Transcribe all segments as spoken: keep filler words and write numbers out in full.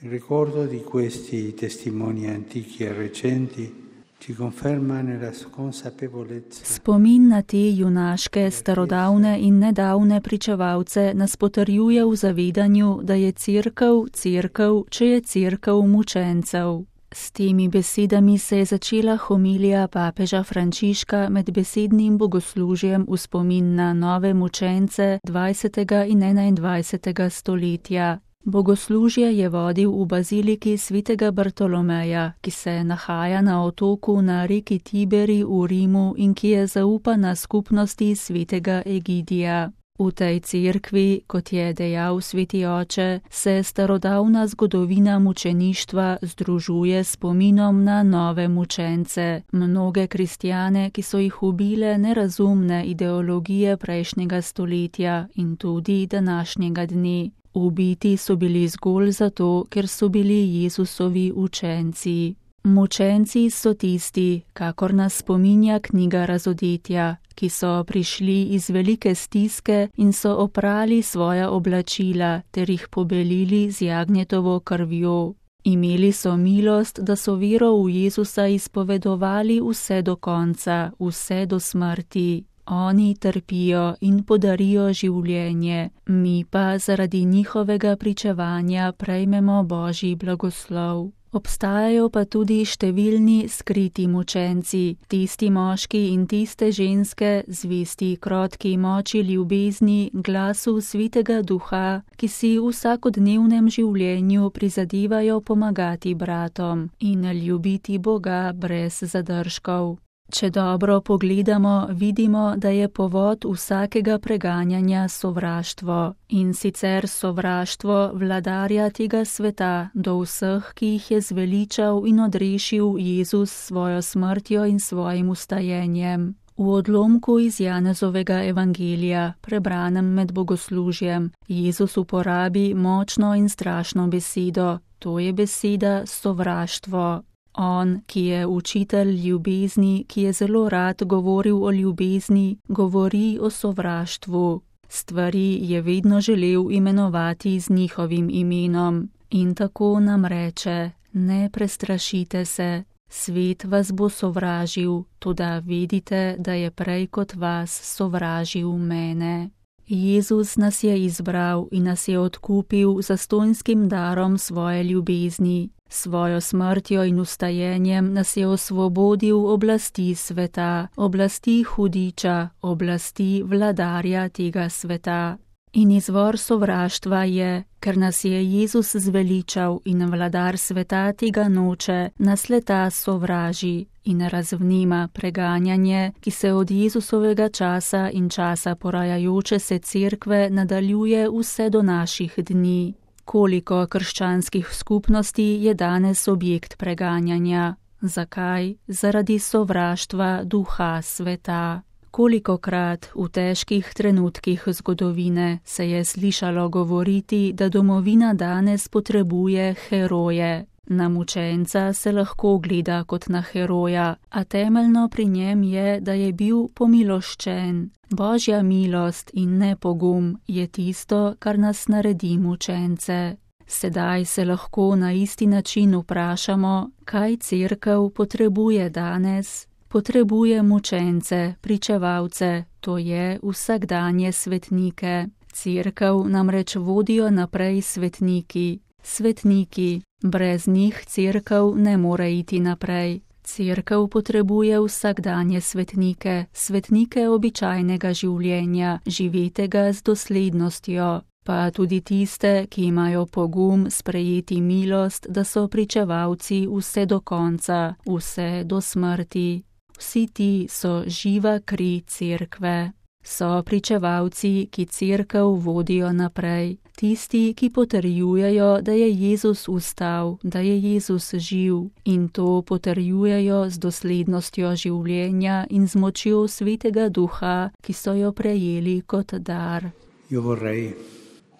Il ricordo di questi testimoni antichi e recenti ci conferma nella consapevolezza. Spomin na te junaške, starodavne in nedavne pričevalce nas potrjuje v zavedanju, da je cerkev cerkev, če je cerkev mučencev. S temi besedami se je začela homilija papeža Frančiška med besednim bogoslužjem v spomin na nove mučence dvajsetega in enaindvajsetega stoletja. Bogoslužje je vodil v baziliki svetega Bartolomeja, ki se nahaja na otoku na reki Tiberi v Rimu in ki je zaupana skupnosti svetega Egidija. V tej cerkvi, kot je dejal sveti oče, se starodavna zgodovina mučeništva združuje s spominom na nove mučence, mnoge kristjane, ki so jih ubile nerazumne ideologije prejšnjega stoletja in tudi današnjega dne. Ubiti so bili zgolj zato, ker so bili Jezusovi učenci. Mučenci so tisti, kakor nas spominja knjiga Razodetja, ki so prišli iz velike stiske in so oprali svoja oblačila ter jih pobelili z jagnjetovo krvjo. Imeli so milost, da so vero v Jezusa izpovedovali vse do konca, vse do smrti. Oni trpijo in podarijo življenje, mi pa zaradi njihovega pričevanja prejmemo Božji blagoslov. Obstajajo pa tudi številni skriti mučenci, tisti moški in tiste ženske, zvesti krotki moči ljubezni, glasu svetega duha, ki si v vsakodnevnem življenju prizadevajo pomagati bratom in ljubiti Boga brez zadržkov. Če dobro pogledamo, vidimo, da je povod vsakega preganjanja sovraštvo, in sicer sovraštvo vladarja tega sveta do vseh, ki jih je zveličal in odrešil Jezus svojo smrtjo in svojim vstajenjem. V odlomku iz Janezovega evangelija, prebranem med bogoslužjem, Jezus uporabi močno in strašno besedo, to je beseda sovraštvo. On, ki je učitelj ljubezni, ki je zelo rad govoril o ljubezni, govori o sovraštvu. Stvari je vedno želel imenovati z njihovim imenom. In tako nam reče, ne prestrašite se, svet vas bo sovražil, toda vedite, da je prej kot vas sovražil mene. Jezus nas je izbral in nas je odkupil zastonjskim darom svoje ljubezni. Svojo smrtjo in vstajenjem nas je osvobodil oblasti sveta, oblasti hudiča, oblasti vladarja tega sveta. In izvor sovraštva je, ker nas je Jezus zveličal in vladar sveta tega noče, nas leta sovraži in razvnima preganjanje, ki se od Jezusovega časa in časa porajajoče se cerkve nadaljuje vse do naših dni. Koliko krščanskih skupnosti je danes objekt preganjanja? Zakaj? Zaradi sovraštva duha sveta. Kolikokrat v težkih trenutkih zgodovine se je slišalo govoriti, da domovina danes potrebuje heroje. Na mučenca se lahko gleda kot na heroja, a temeljno pri njem je, da je bil pomiloščen. Božja milost in ne pogum je tisto, kar nas naredi mučence. Sedaj se lahko na isti način vprašamo, kaj cerkev potrebuje danes. Potrebuje mučence, pričevalce, to je vsakdanje svetnike. Cerkev namreč vodijo naprej svetniki. Svetniki, brez njih cerkev ne more iti naprej. Cerkev potrebuje vsakdanje svetnike, svetnike običajnega življenja, živetega z doslednostjo, pa tudi tiste, ki imajo pogum sprejeti milost, da so pričevalci vse do konca, vse do smrti. Vsi ti so živa kri cerkve. So pričevalci, ki cerkev vodijo naprej. Tisti, ki potrjujejo, da je Jezus vstal, da je Jezus živ, in to potrjujejo z doslednostjo življenja in z močjo svetega duha, ki so jo prejeli kot dar. Io vorrei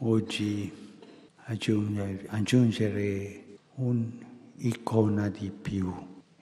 oggi aggiungere un'icona di più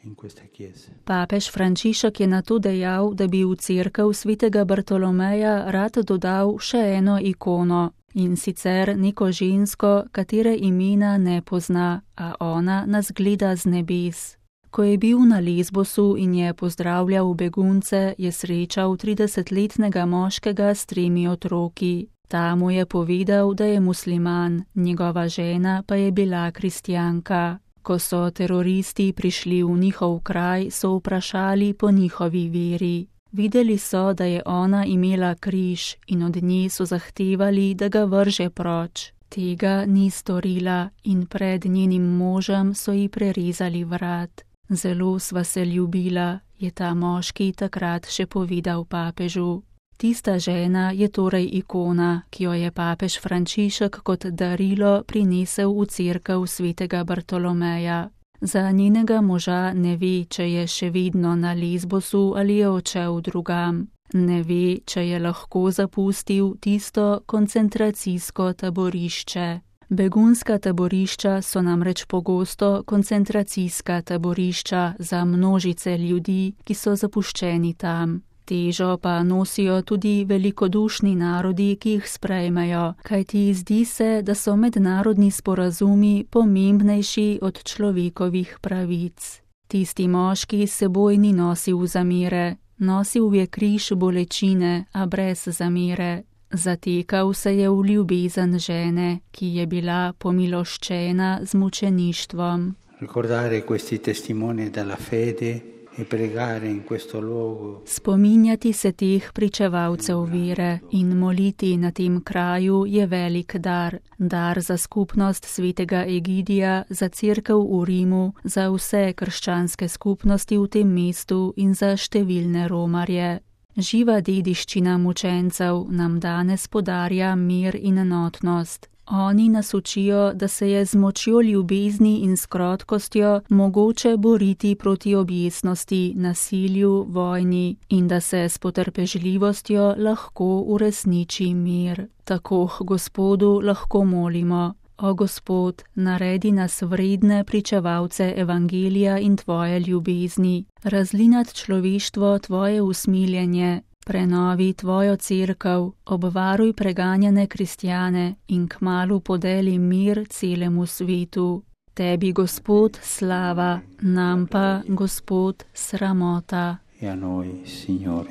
in questa chiesa. Papež Frančišek je nato dejal, da bi v cerkev svetega Bartolomeja rad dodal še eno ikono, in sicer neko žensko, katere imena ne pozna, a ona nas gleda z nebes. Ko je bil na Lesbosu in je pozdravljal begunce, je srečal tridesetletnega moškega s tremi otroki. Ta mu je povedal, da je musliman, njegova žena pa je bila kristjanka. Ko so teroristi prišli v njihov kraj, so vprašali po njihovi veri. Videli so, da je ona imela križ in od nje so zahtevali, da ga vrže proč. Tega ni storila in pred njenim možem so ji prerezali vrat. Zelo sva se ljubila, je ta moški takrat še povedal papežu. Tista žena je torej ikona, ki jo je papež Frančišek kot darilo prinesel v cerkev svetega Bartolomeja. Za njenega moža ne ve, če je še vedno na Lesbosu ali je odšel drugam. Ne ve, če je lahko zapustil tisto koncentracijsko taborišče. Begunska taborišča so namreč pogosto koncentracijska taborišča za množice ljudi, ki so zapuščeni tam. Težo pa nosijo tudi velikodušni narodi, ki jih sprejmejo, kajti zdi se, da so mednarodni sporazumi pomembnejši od človekovih pravic. Tisti moški seboj ni nosil zamere, nosil je križ bolečine, a brez zamere. Zatekal se je v ljubezen žene, ki je bila pomiloščena z mučeništvom. Ricordare questi testimoni della fede e pregare in questo luogo. Spominjati se teh pričevalcev vere in moliti na tem kraju je velik dar. Dar za skupnost svetega Egidija, za cerkev v Rimu, za vse krščanske skupnosti v tem mestu in za številne romarje. Živa dediščina mučencev nam danes podarja mir in enotnost. Oni nas učijo, da se je z močjo ljubezni in s krotkostjo mogoče boriti proti objesnosti, nasilju, vojni in da se s potrpežljivostjo lahko uresniči mir. Tako Gospodu lahko molimo: O Gospod, naredi nas vredne pričevalce evangelija in tvoje ljubezni, razli nad človeštvo tvoje usmiljenje, prenovi tvojo cerkev, obvaruj preganjane kristjane in kmalu podeli mir celemu svetu. Tebi, Gospod, slava, nam pa, Gospod, sramota. E a noi, Signore,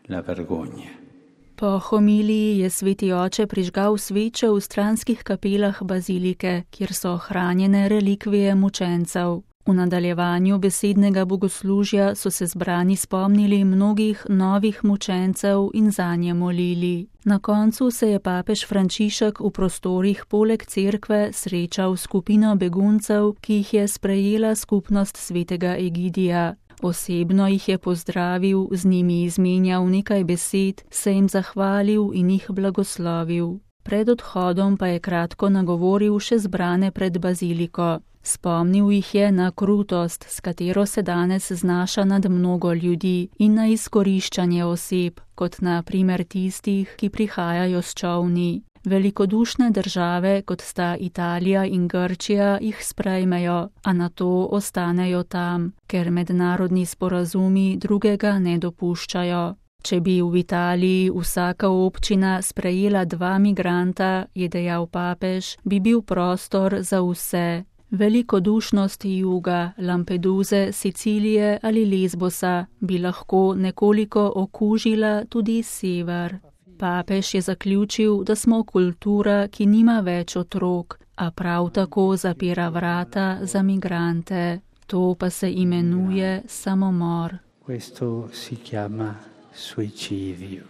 la vergogna. Po homiliji je sveti oče prižgal sveče v stranskih kapelah bazilike, kjer so hranjene relikvije mučencev. V nadaljevanju besednega bogoslužja so se zbrani spomnili mnogih novih mučencev in zanje molili. Na koncu se je papež Frančišek v prostorih poleg cerkve srečal s skupino beguncev, ki jih je sprejela skupnost svetega Egidija. Osebno jih je pozdravil, z njimi izmenjal nekaj besed, se jim zahvalil in jih blagoslovil. Pred odhodom pa je kratko nagovoril še zbrane pred baziliko. Spomnil jih je na krutost, s katero se danes znaša nad mnogo ljudi, in na izkoriščanje oseb, kot na primer tistih, ki prihajajo s čolni. Velikodušne države, kot sta Italija in Grčija, jih sprejmejo, a nato ostanejo tam, ker mednarodni sporazumi drugega ne dopuščajo. Če bi v Italiji vsaka občina sprejela dva migranta, je dejal papež, bi bil prostor za vse. Velikodušnost juga, Lampeduze, Sicilije ali Lesbosa bi lahko nekoliko okužila tudi sever. Papež je zaključil, da smo kultura, ki nima več otrok, a prav tako zapira vrata za migrante. To pa se imenuje samomor. Questo si chiama suicidio.